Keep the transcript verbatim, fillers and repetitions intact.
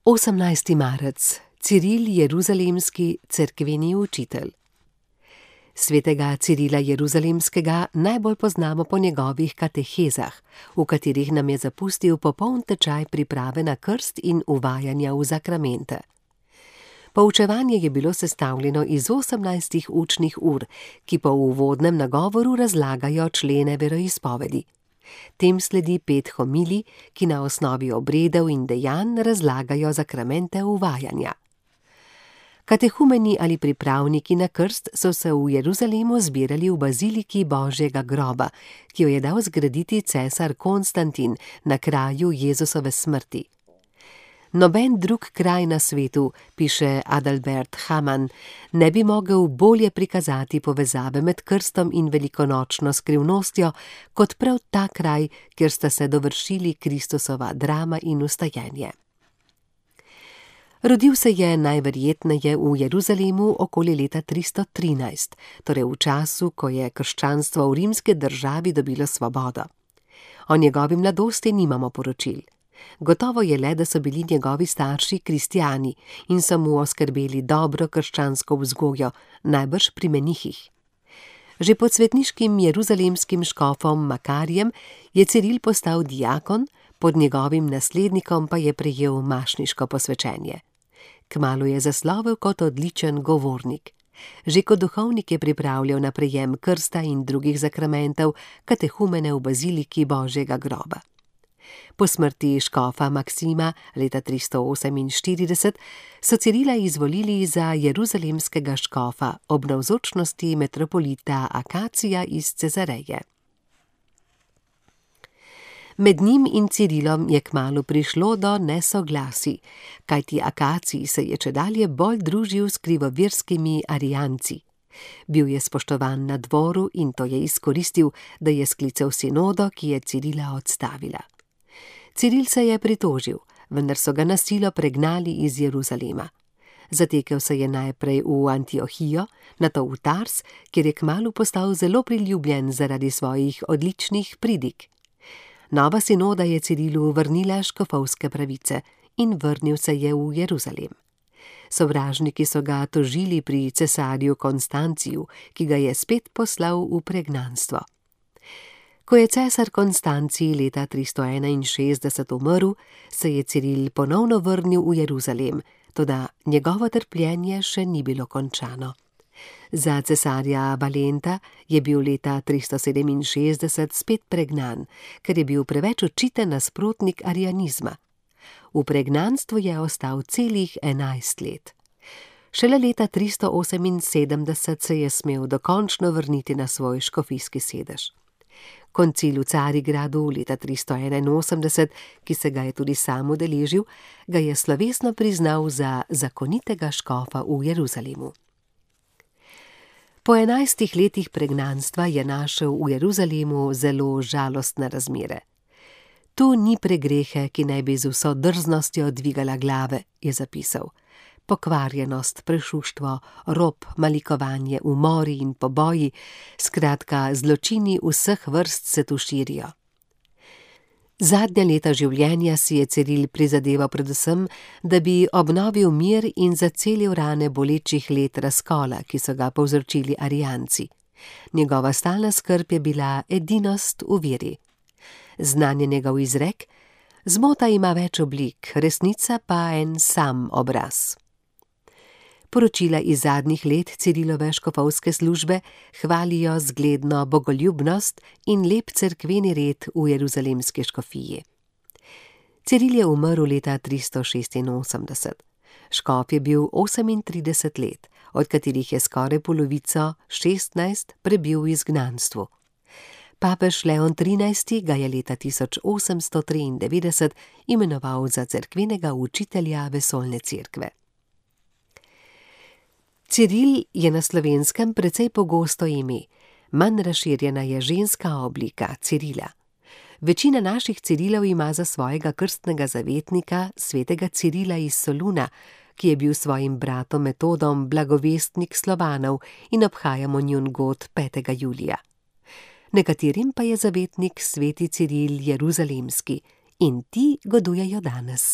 osemnajsti marec. Ciril Jeruzalemski, cerkveni učitelj. Svetega Cirila Jeruzalemskega najbolj poznamo po njegovih katehezah, v katerih nam je zapustil popoln tečaj priprave na krst in uvajanja v zakramente. Poučevanje je bilo sestavljeno iz osemnajstih učnih ur, ki po uvodnem nagovoru razlagajo člene veroizpovedi. Tem sledi pet homilij, ki na osnovi obredov in dejanj razlagajo zakramente uvajanja. Katehumeni ali pripravniki na krst so se v Jeruzalemu zbirali v baziliki Božjega groba, ki jo je dal zgraditi cesar Konstantin na kraju Jezusove smrti. Noben drug kraj na svetu, piše Adalbert Hamann, ne bi mogel bolje prikazati povezave med krstom in velikonočno skrivnostjo, kot prav ta kraj, kjer sta se dovršili Kristusova drama in vstajenje. Rodil se je najverjetneje v Jeruzalemu okoli leta tristo trinajst, torej v času, ko je krščanstvo v rimski državi dobilo svobodo. O njegovi mladosti nimamo poročil. Gotovo je le, da so bili njegovi starši kristjani in so mu oskrbeli dobro krščansko vzgojo, najbrž pri menihih. Že pod svetniškim jeruzalemskim škofom Makarijem je Ciril postal dijakon, pod njegovim naslednikom pa je prejel mašniško posvečenje. Kmalu je zaslovel kot odličen govornik. Že kot duhovnik je pripravljal na prejem krsta in drugih zakramentov, katehumene v baziliki Božjega groba. Po smrti škofa Maksima leta tristo oseminštirideset so Cirila izvolili za jeruzalemskega škofa ob navzočnosti metropolita Akacija iz Cezareje. Med njim in Cirilom je kmalu prišlo do nesoglasij, kajti Akacij se je čedalje bolj družil s krivovirskimi arijanci. Bil je spoštovan na dvoru in to je izkoristil, da je sklical sinodo, ki je Cirila odstavila. Ciril se je pritožil, vendar so ga na silo pregnali iz Jeruzalema. Zatekel se je najprej v Antiohijo, nato v Tars, kjer je kmalu postal zelo priljubljen zaradi svojih odličnih pridig. Nova sinoda je Cirilu vrnila škofovske pravice in vrnil se je v Jeruzalem. Sovražniki so ga tožili pri cesarju Konstanciju, ki ga je spet poslal v pregnanstvo. Ko je cesar Konstancij leta tristo enainšestdeset umrl, se je Ciril ponovno vrnil v Jeruzalem, toda njegovo trpljenje še ni bilo končano. Za cesarja Valenta je bil leta tristo sedeminšestdeset spet pregnan, ker je bil preveč očiten nasprotnik arijanizma. V pregnanstvu je ostal celih enajst let. Šele leta tristo oseminsedemdeset se je smel dokončno vrniti na svoj škofijski sedež. Koncil v Carigradu leta tristo enainosemdeset, ki se ga je tudi sam udeležil, ga je slovesno priznal za zakonitega škofa v Jeruzalemu. Po enajstih letih pregnanstva je našel v Jeruzalemu zelo žalostne razmere. Tu ni pregrehe, ki naj bi z vso drznostjo dvigala glave, je zapisal. Pokvarjenost, prešuštvo, rob, malikovanje, umori in poboji, skratka zločini vseh vrst se tu širijo. Zadnja leta življenja si je Ciril prizadeval predvsem, da bi obnovil mir in zacelil rane bolečih let razkola, ki so ga povzročili arijanci. Njegova stalna skrb je bila edinost v veri. Znan je njegov izrek: zmota ima več oblik, resnica pa en sam obraz. Poročila iz zadnjih let Cirilove škofovske službe hvalijo zgledno bogoljubnost in lep cerkveni red v jeruzalemski škofiji. Ciril je umrl leta tristo šestinosemdeset. Škof je bil osemintrideset let, od katerih je skoraj polovico, šestnajst, prebil v izgnanstvu. Papež Leon trinajsti ga je leta tisoč osemsto triindevetdeset imenoval za cerkvenega učitelja vesoljne cerkve. Ciril je na Slovenskem precej pogosto ime, manj razširjena je ženska oblika Cirila. Večina naših Cirilov ima za svojega krstnega zavetnika svetega Cirila iz Soluna, ki je bil svojim bratom Metodom blagovestnik Slovanov in obhajamo njun god petega julija. Nekaterim pa je zavetnik sveti Ciril Jeruzalemski in ti godujejo danes.